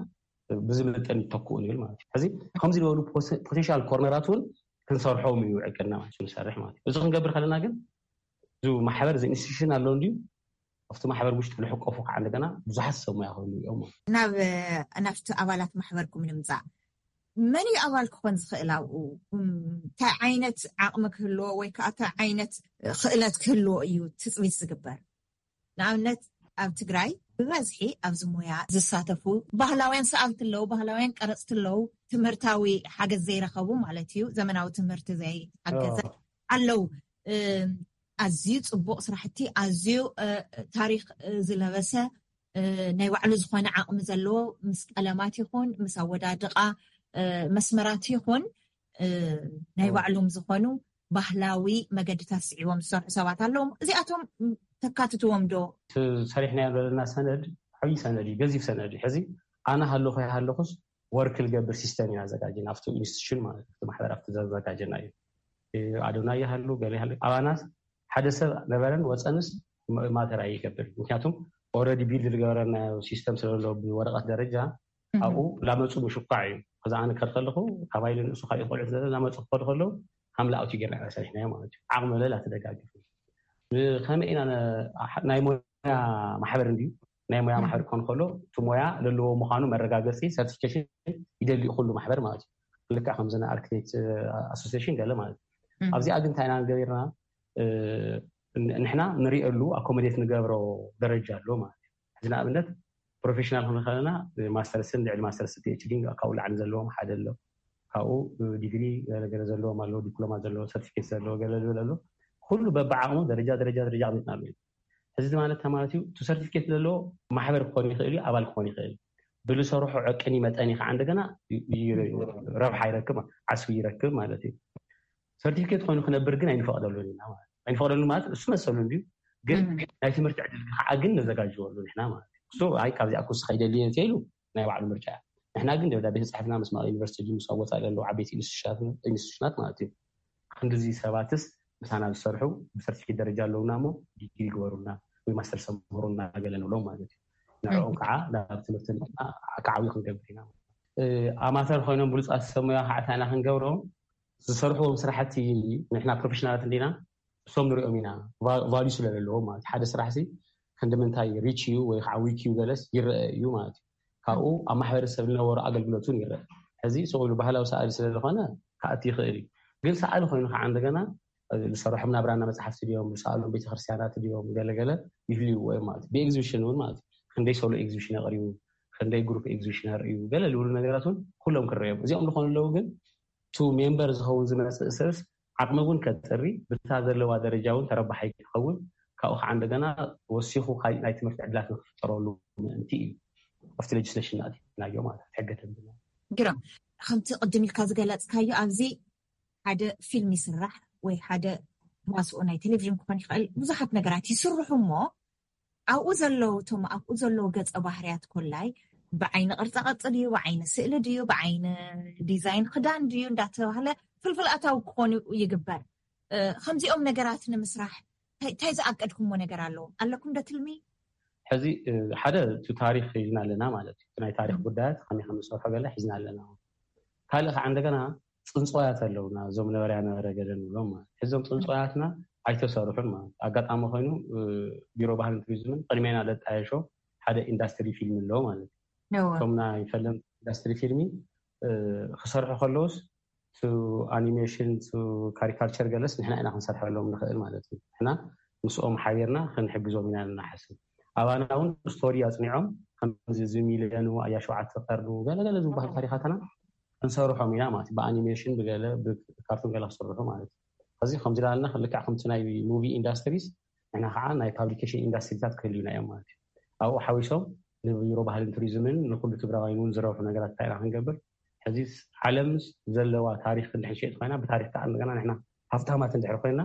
ብዝምጥን ይተክኡ ንብል ማለት እዩ። ሕዚ ከምዚ ዝበሉ ፖቴንሻል ኮርነራት እውን ክንሰርሖም እዩ ዕቅድና ማለት እዩ ንሰርሕ ማለት እዩ። እዚ ክንገብር ከለና ግን እዚ ማሕበር እዚ ኢንስቲቱሽን ኣሎ እንድዩ ኣብቲ ማሕበር ውሽጢ ልሕቀፉ ከዓ እንደገና ብዙሓት ሰብ ሞያ ክህሉ እዮም። ናብ ናብቲ ኣባላት ማሕበርኩም ንምፃእ መን እዩ ኣባል ክኾን ዝኽእል ኣብኡ እንታይ ዓይነት ዓቕሚ ክህልዎ ወይ ከዓ እንታይ ዓይነት ክእለት ክህልዎ እዩ ትፅቢት ዝግበር? ንኣብነት ኣብ ትግራይ ብበዝሒ ኣብዚ ሞያ ዝሳተፉ ባህላውያን ሰኣልቲ ኣለዉ፣ ባህላውያን ቀረፅቲ ኣለዉ፣ ትምህርታዊ ሓገዝ ዘይረኸቡ ማለት እዩ፣ ዘመናዊ ትምህርቲ ዘይሓገዘ ኣለዉ። ኣዝዩ ፅቡቕ ስራሕቲ፣ ኣዝዩ ታሪክ ዝለበሰ፣ ናይ ባዕሉ ዝኾነ ዓቕሚ ዘለዎ፣ ምስ ቀለማት ይኹን ምስ ኣወዳድቓ መስመራት ይኹን ናይ ባዕሎም ዝኾኑ ባህላዊ መገድታት ስዒቦም ዝሰርሑ ሰባት ኣለዎም። እዚኣቶም ተካትትዎም ዶ? ሰሪሕናዮ ዘለና ሰነድ ዓብዪ ሰነድ እዩ፣ ገዚፍ ሰነድ እዩ። ሕዚ ኣነ ሃለኹ ይሃለኹስ ወርክ ልገብር ሲስተም ኢና ኣዘጋጅና ኣብቲ ኢንስቲቱሽን ማለት ኣብቲ ማሕበር ኣብቲ ዘዘጋጀና እዩ። ኣዶና ይሃሉ ገለ ይሃሉ ኣባናት ሓደ ሰብ ነበረን ወፀንስ ማተር ኣይገብር። ምክንያቱም ኦረዲ ቢልድ ዝገበረና ሲስተም ስለሎ ብወረቐት ደረጃ ኣብኡ ላመፁ ምሽኳዕ እዩ። ከዛ ኣነ ከድ ከለኹ ካብ ኣይለ ንእሱ ካልኦት ቆልዑት ዘለ ላመፁ ክኸዱ ከለዉ ሃምላ ኣውቲ ጌርና ኢና ሰሪሕናዮ ማለት እዩ። ዓቕሚ ለላ ትደጋግፍ ከመይ ኢና ናይ ሞያ ማሕበር እንድዩ ናይ ሞያ ማሕበር ክኾን ከሎ እቲ ሞያ ለለዎ ምዃኑ መረጋገፂ ሰርቲፊኬሽን ይደሊ ኩሉ ማሕበር ማለት እዩ። ልክዕ ከምዚ ናይ ኣርክቴክት ኣሶሲሽን ገለ ማለት እዩ። ኣብዚኣ ግን እንታይ ኢና ገቢርና ንሕና ንሪእሉ ኣኮሞዴት ንገብሮ ደረጃ ኣሎ ማለት እዩ። እዚ ንኣብነት ፕሮፌሽናል ክንከለና ማስተርስን ልዕሊ ማስተርስ ፒኤችዲ ካብኡ ላዕሊ ዘለዎም ሓደ ኣሎ። ካብኡ ዲግሪ ገለገለ ዘለዎም ኣለዎ፣ ዲፕሎማ ዘለዎ ሰርቲፊኬት ዘለዎ ገለ ዝብል ኣሎ። ኩሉ በብዓቕሙ ደረጃ ደረጃ ደረጃ ኣቕሚጥናሉ እዩ። እዚ ማለት እንታይ ማለት እዩ? እቲ ሰርቲፊኬት ዘለዎ ማሕበር ክኾን ይኽእል እዩ፣ ኣባል ክኾን ይኽእል እዩ። ብዝሰርሖ ዕቅኒ መጠን እዩ ከዓ እንደገና ረብሓ ይረክብ፣ ዓስቢ ይረክብ ማለት እዩ። ሰርቲፊኬት ኮይኑ ክነብር ግን ኣይንፈቕደሉን ኢና ማለት ኣይንፈቕደሉ ማለት እሱ መሰሉ እንድዩ፣ ግን ናይ ትምህርቲ ዕድል ከዓ ግን ነዘጋጅወሉ ንሕና ማለት እዩ። እሱ ኣይ ካብዚኣ ክውስኸ ይደሊ እየ እንተኢሉ ናይ ባዕሉ ምርጫ እያ። ንሕና ግን ደብዳቤ ተፃሒፍና ምስ መቐለ ዩኒቨርሲቲ ምስ ኣብ ወፃኢ ዘለዉ ዓበይቲ ኢንስቲቱሽናት ማለት እዩ። ክንድዚ ሰባትስ ምሳና ዝሰርሑ ብሰርቲፊኬት ደረጃ ኣለውና እሞ ዲግሪ ግበሩልና ወይ ማስተር ሰምሩና ገለ ንብሎም ማለት እዩ። ንዕኦም ከዓ ናብ ትምህርቲ ከዓብዩ ክንገብር ኢና። ኣማተር ኮይኖም ብሉፃት ሰብ ሞያ ከዓ እንታይ ኢና ክንገብሮም ዝሰርሕዎም ስራሕቲ ንሕና ፕሮፌሽናላት እንዲና እሶም ንሪኦም ኢና ቫልዩ ስለ ዘለዎም ማለት ሓደ ስራሕ ሲ ክንዲ ምንታይ ሪች እዩ ወይ ከዓ ዊክ እዩ ገለስ ይረአ እዩ ማለት እዩ። ካብኡ ኣብ ማሕበረሰብ ዝነበሩ ኣገልግሎት እውን ይረአ። ሕዚ ስቕ ኢሉ ባህላዊ ሰኣሊ ስለ ዝኾነ ክኣቲ ይኽእል እዩ። ግን ሰኣሊ ኮይኑ ከዓ እንደገና ዝሰርሖም ናብራና መፅሓፍቲ ድዮም ዝሰኣሎም ቤተክርስትያናት ድዮም ገለገለ ይህልይዎ እዮም ማለት እዩ። ብኤግዚቢሽን እውን ማለት እዩ። ክንደይ ሶሎ ኤግዚቢሽን ኣቕሪቡ፣ ክንደይ ግሩፕ ኤግዚቢሽን ኣርእዩ ገለ ዝብሉ ነገራት እውን ኩሎም ክረዮም እዚኦም ዝኾኑ ኣለዉ ግን ቱ ሜምበር ዝኸውን ዝመፅእ ሰብስ ዓቕሚ እውን ከጥሪ ብታ ዘለዋ ደረጃ እውን ተረባሓይ ክኸውን ካብኡ ከዓ እንደገና ወሲኹ ካሊእ ናይ ትምህርቲ ዕድላት ንክፍጠረሉ ምእንቲ እዩ ኣብቲ ሌጅስሌሽን ናእቲናዮ ማለት ሕገ ተንብና ግርም ከምቲ ቅድም ኢልካ ዝገለፅካዮ ኣብዚ ሓደ ፊልም ይስራሕ ወይ ሓደ ተዋስኦ ናይ ቴሌቪዥን ክኾን ይኽእል ብዙሓት ነገራት ይስርሑ እሞ ኣብኡ ዘለዉ እቶም ኣብኡ ዘለዉ ገፀ ባህርያት ኮላይ ብዓይኒ ቅርፃ ቅርፂ ድዩ ብዓይኒ ስእሊ ድዩ ብዓይኒ ዲዛይን ክዳን ድዩ እንዳተባህለ ፍልፍል ኣታዊ ክኾኑ ይግበር ከምዚኦም ነገራት ንምስራሕ እንታይ ዝኣቀድኩሞ ነገር ኣለዎም ኣለኩም ዶ ትልሚ ሕዚ ሓደ እቲ ታሪክ ሒዝና ኣለና ማለት እዩ ናይ ታሪክ ጉዳያት ከመይ ከም ንሰርሖ ገለ ሒዝና ኣለና ካልእ ከዓ እንደገና ፅንፅዋያት ኣለውና እዞም ነበርያ ነበረ ገለ ንብሎም ማለት እዞም ፅንፅዋያትና ኣይተሰርሑን ማለት ኣጋጣሚ ኮይኑ ቢሮ ባህልን ቱሪዝምን ቅድሜና ለጣየሾ ሓደ ኢንዳስትሪ ፊልም ኣለዎ ማለት እዩ እቶም ናይ ፈለምቲ ኢንዳስትሪ ፊልሚ ክሰርሑ ከለውስ ቱ ኣኒሜሽን ቱ ካሪካልቸር ገለስ ንሕና ኢና ክንሰርሐሎም ንኽእል ማለት እዩ ንሕና ምስኦም ሓቢርና ክንሕግዞም ኢና ንሓስብ ኣባና እውን ስቶሪ ኣፅኒዖም ከምዚ እዚ ሚልዮኑ ኣያ ሸውዓተ ቀርኑ ገለገለ ዝበሃል ታሪካትና ክንሰርሖም ኢና ማለት ብኣኒሜሽን ብገለ ብካርቱን ገለ ክስርሑ ማለት እዩ እዚ ከምዚ ዳልና ልክዕ ከምቲ ናይ ሙቪ ኢንዳስትሪስ ንሕና ከዓ ናይ ፓብሊኬሽን ኢንዳስትሪታት ክህልዩና እዮም ማለት እዩ ኣብኡ ሓዊሶም ንቢሮ ባህልን ቱሪዝምን ንኩሉ ትግራዋይን እውን ዝረብሑ ነገራት እንታይ ኢና ክንገብር ሕዚ ዓለም ዘለዋ ታሪክ እንድሕር ሸጥ ኮይና ብታሪክ ከዓ እንደገና ንሕና ሃፍታማት እንድሕር ኮይና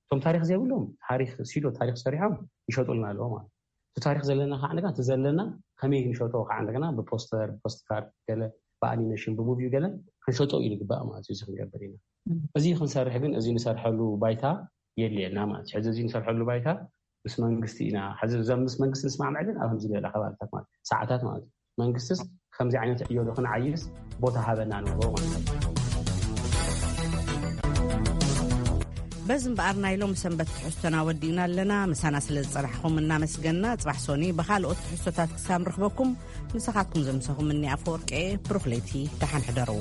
እቶም ታሪክ ዘይብሎም ታሪክ ሲዶ ታሪክ ሰሪሖም ይሸጡልና ኣለዎ ማለት እቲ ታሪክ ዘለና ከዓ እንደገና እቲ ዘለና ከመይ ንሸጦ ከዓ እንደገና ብፖስተር ብፖስትካርድ ገለ ብኣኒሜሽን ብሙቪ ገለ ክንሸጦ እዩ ንግባእ ማለት እዩ እዚ ክንገብር ኢና እዚ ክንሰርሕ ግን እዚ ንሰርሐሉ ባይታ የድልየና ማለት እዩ ሕዚ እዚ ንሰርሐሉ ባይታ ምስ መንግስቲ ኢና ሕዚ እዞም ምስ መንግስቲ ንስማዕምዕ ግን ኣብ ከምዚ ዝበለ ከባብታት ማለት ሰዓታት ማለት እዩ መንግስትስ ከምዚ ዓይነት ዕዮ ዶ ክንዓይስ ቦታ ሃበና ንብሎ ማለት እዩ በዚ እምበኣር ናይ ሎም ሰንበት ትሕዝቶና ወዲእና ኣለና ምሳና ስለ ዝፀናሕኹም እናመስገና ፅባሕ ሶኒ ብካልኦት ትሕዝቶታት ክሳብ ንረኽበኩም ምሳኻትኩም ዘምሰኹም እኒ ኣፈወርቂ ብሩኽ ለይቲ ደሓን ሕደሩ